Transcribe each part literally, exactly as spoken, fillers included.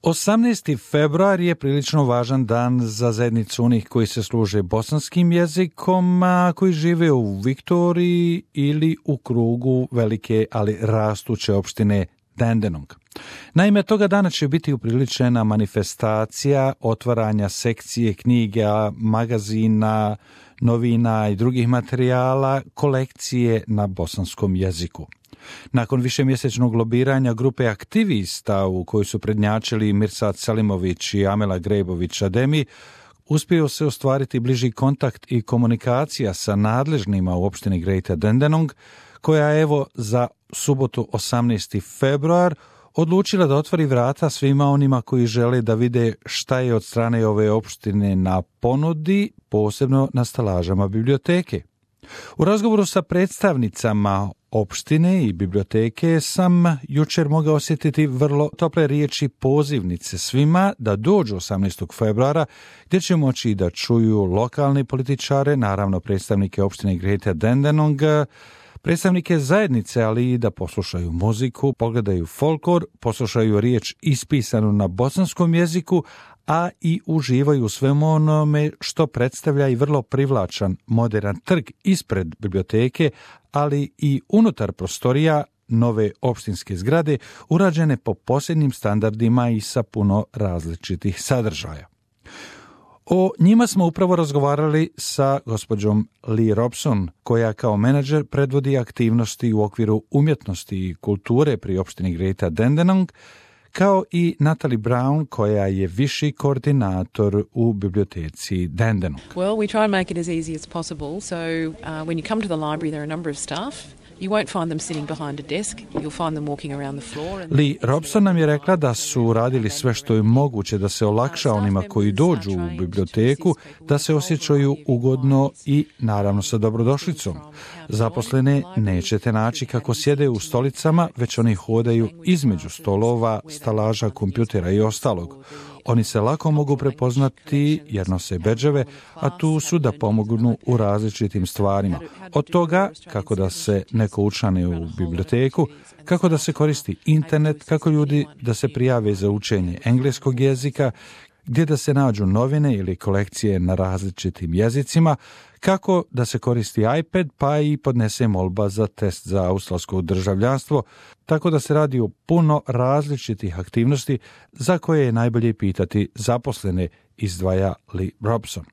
osamnaesti februar je prilično važan dan za zajednicu onih koji se služe bosanskim jezikom, a koji žive u Viktoriji ili u krugu velike, ali rastuće opštine Dandenong. Naime, toga dana će biti upriličena manifestacija otvaranja sekcije knjiga, magazina, novina i drugih materijala, kolekcije na bosanskom jeziku. Nakon višemjesečnog lobiranja grupe aktivista u kojoj su prednjačili Mirsad Selimović i Amela Grejbović Ademi, uspio se ostvariti bliži kontakt i komunikacija sa nadležnima u opštini Greater Dandenong, koja evo za subotu osamnaesti februar odlučila da otvori vrata svima onima koji žele da vide šta je od strane ove opštine na ponudi, posebno na stalažama biblioteke. U razgovoru sa predstavnicama opštine i biblioteke sam jučer mogao osjetiti vrlo tople riječi pozivnice svima da dođu osamnaestog februara, gdje će moći da čuju lokalne političare, naravno predstavnike opštine Greater Dandenong, predstavnike zajednice, ali i da poslušaju muziku, pogledaju folklor, poslušaju riječ ispisanu na bosanskom jeziku, a i uživaju u svemu onome što predstavlja i vrlo privlačan modern trg ispred biblioteke, ali i unutar prostorija nove opštinske zgrade, urađene po posljednjim standardima i sa puno različitih sadržaja. O njima smo upravo razgovarali sa gospođom Lee Robson, koja kao menadžer predvodi aktivnosti u okviru umjetnosti i kulture pri opštini Greater Dandenong, kao i Natalie Brown, koja je viši koordinator u biblioteci Dandenong. Well, we try and make it as easy as possible. So uh, when you come to the library, there are a number of staff. You won't find them sitting behind a desk. You'll find them walking around the floor. And Lee Robson nam je rekla da su radili sve što je moguće da se olakša onima koji dođu u biblioteku, da se osjećaju ugodno i naravno sa dobrodošlicom. Zaposlene nećete naći kako sjede u stolicama, već oni hodaju između stolova, stalaža, kompjutera i ostalog. Oni se lako mogu prepoznati jer nose bedževe, a tu su da pomognu u različitim stvarima. Od toga kako da se neko učlani u biblioteku, kako da se koristi internet, kako ljudi da se prijave za učenje engleskog jezika, gdje da se nađu novine ili kolekcije na različitim jezicima, kako da se koristi iPad, pa i podnese molba za test za australsko državljanstvo, tako da se radi o puno različitih aktivnosti za koje je najbolje pitati zaposlene, izdvaja Lee Robson.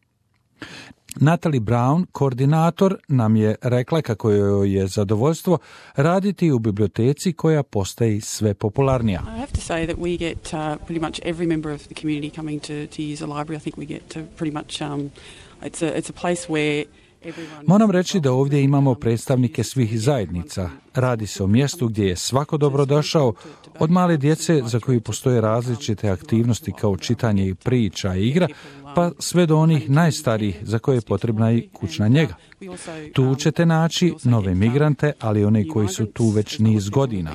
Natalie Brown, koordinator, nam je rekla kako joj je zadovoljstvo raditi u biblioteci koja postaje sve popularnija. I have to say that we get uh, pretty much every member of the community coming to, to use a library. I think we get to pretty much um, it's a it's a place where Moram reći da ovdje imamo predstavnike svih zajednica. Radi se o mjestu gdje je svako dobrodošao, od male djece za koju postoje različite aktivnosti kao čitanje i priča i igra, pa sve do onih najstarijih za koje je potrebna i kućna njega. Tu ćete naći nove migrante, ali one koji su tu već niz godina.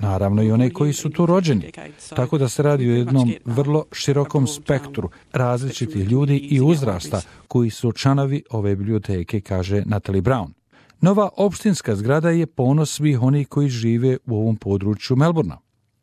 Naravno i one koji su tu rođeni. Tako da se radi o jednom vrlo širokom spektru različitih ljudi i uzrasta koji su članovi ove biblioteke, kaže Natalie Brown. Nova opštinska zgrada je ponos svih onih koji žive u ovom području Melbourna.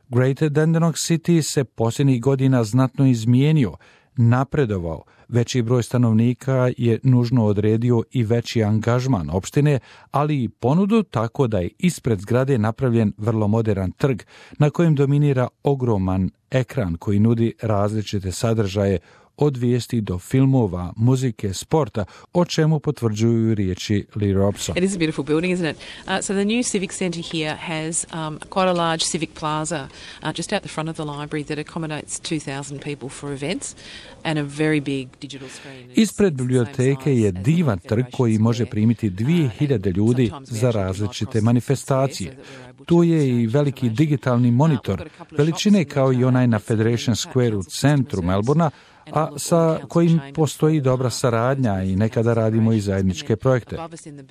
Greater Dandenong City se posljednjih godina znatno izmijenio, napredovao, veći broj stanovnika je nužno odredio i veći angažman opštine, ali i ponudu, tako da je ispred zgrade napravljen vrlo modern trg na kojem dominira ogroman ekran koji nudi različite sadržaje od vijesti do filmova, muzike, sporta, o čemu potvrđuju riječi Lee Robson. It is a beautiful building, isn't it? Uh, so the new civic centre here has um, quite a large civic plaza uh, just out the front of the library that accommodates two thousand people for events and a very big digital screen. Ispred biblioteke je divan trg koji može primiti dvije hiljade ljudi za različite manifestacije. Tu je i veliki digitalni monitor, veličine kao i onaj na Federation Square u centru Melbourna, a sa kojim postoji dobra saradnja i nekada radimo i zajedničke projekte.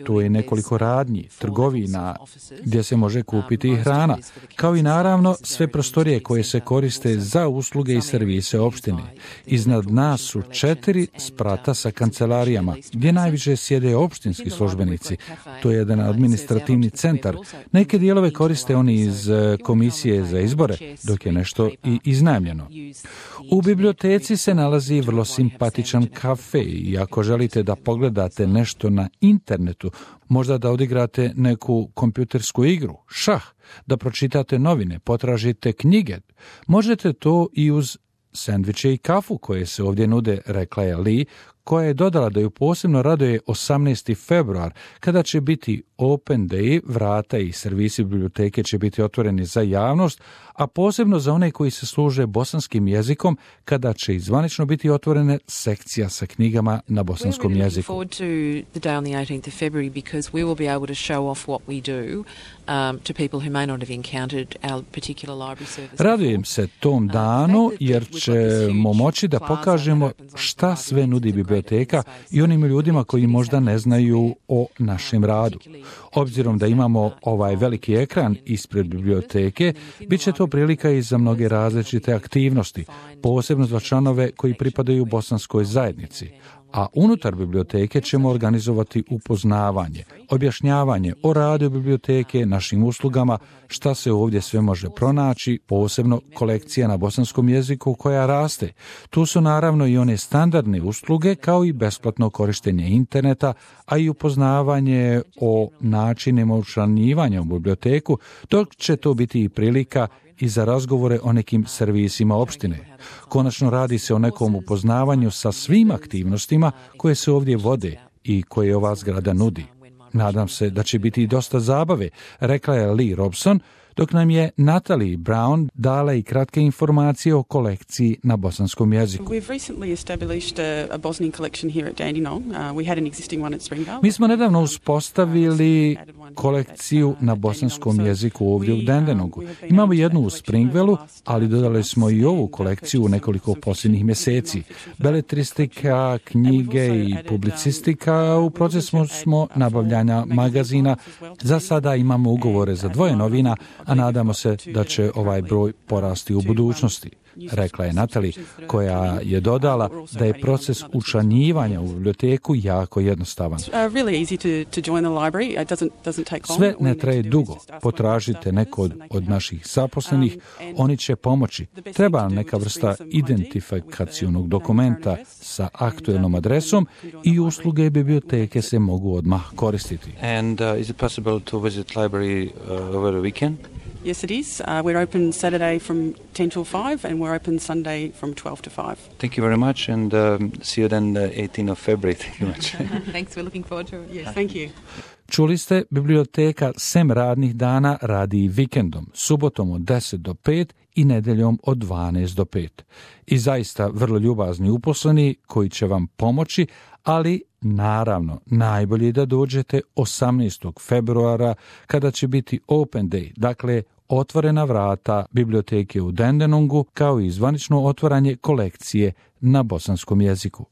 Tu je nekoliko radnji, trgovina gdje se može kupiti i hrana, kao i naravno sve prostorije koje se koriste za usluge i servise opštine. Iznad nas su četiri sprata sa kancelarijama, gdje najviše sjede opštinski službenici. To je jedan administrativni centar. Neke dijelove koriste oni iz komisije za izbore, dok je nešto i iznajmljeno. U biblioteci se nalazi vrlo simpatičan kafe i ako želite da pogledate nešto na internetu, možda da odigrate neku kompjutersku igru, šah, da pročitate novine, potražite knjige, možete to i uz sendviče i kafu koje se ovdje nude, rekla je Lee, koja je dodala da ju posebno raduje osamnaesti februar, kada će biti Open Day, vrata i servisi biblioteke će biti otvoreni za javnost, a posebno za one koji se služe bosanskim jezikom, kada će izvanično biti otvorene sekcija sa knjigama na bosanskom jeziku. Radujem se tom danu jer ćemo moći da pokažemo šta sve nudi biblioteka i onim ljudima koji možda ne znaju o našem radu. Obzirom da imamo ovaj veliki ekran ispred biblioteke, bit će to prilika i za mnoge različite aktivnosti, posebno za članove koji pripadaju bosanskoj zajednici. A unutar biblioteke ćemo organizovati upoznavanje, objašnjavanje o radu biblioteke, našim uslugama, šta se ovdje sve može pronaći, posebno kolekcija na bosanskom jeziku koja raste. Tu su naravno i one standardne usluge kao i besplatno korištenje interneta, a i upoznavanje o načinima učlanjivanja u biblioteku, dok će to biti i prilika i za razgovore o nekim servisima opštine. Konačno radi se o nekom upoznavanju sa svim aktivnostima koje se ovdje vode i koje ova zgrada nudi. Nadam se da će biti i dosta zabave, rekla je Lee Robson, dok nam je Natalie Brown dala i kratke informacije o kolekciji na bosanskom jeziku. Mi smo nedavno uspostavili kolekciju na bosanskom jeziku ovdje u Dandenongu. Imamo jednu u Springvelu, ali dodali smo i ovu kolekciju u nekoliko posljednjih mjeseci. Beletristika, knjige i publicistika, u procesu smo nabavljanja magazina. Za sada imamo ugovore za dvoje novina, a nadamo se da će ovaj broj porasti u budućnosti, rekla je Natalie, koja je dodala da je proces učlanjivanja u biblioteku jako jednostavan. Sve ne traje dugo. Potražite neko od, od naših zaposlenih, oni će pomoći. Treba nam neka vrsta identifikacionog dokumenta sa aktuelnom adresom i usluge biblioteke se mogu odmah koristiti. And uh, is it possible to visit library uh, over the weekend? Yes, it is. Uh, we're open Saturday from ten till five and we're open Sunday from twelve to five. Thank you very much and um, see you then the eighteenth of February. Thank you much. Thanks, we're looking forward to it. Yes, thank you. Čuli ste, biblioteka sem radnih dana radi i vikendom, subotom od deset do pet i nedeljom od dvanaest do pet. I zaista vrlo ljubazni uposleni koji će vam pomoći, ali naravno najbolje da dođete osamnaestog februara kada će biti Open Day, dakle otvorena vrata biblioteke u Dandenongu kao i zvanično otvaranje kolekcije na bosanskom jeziku.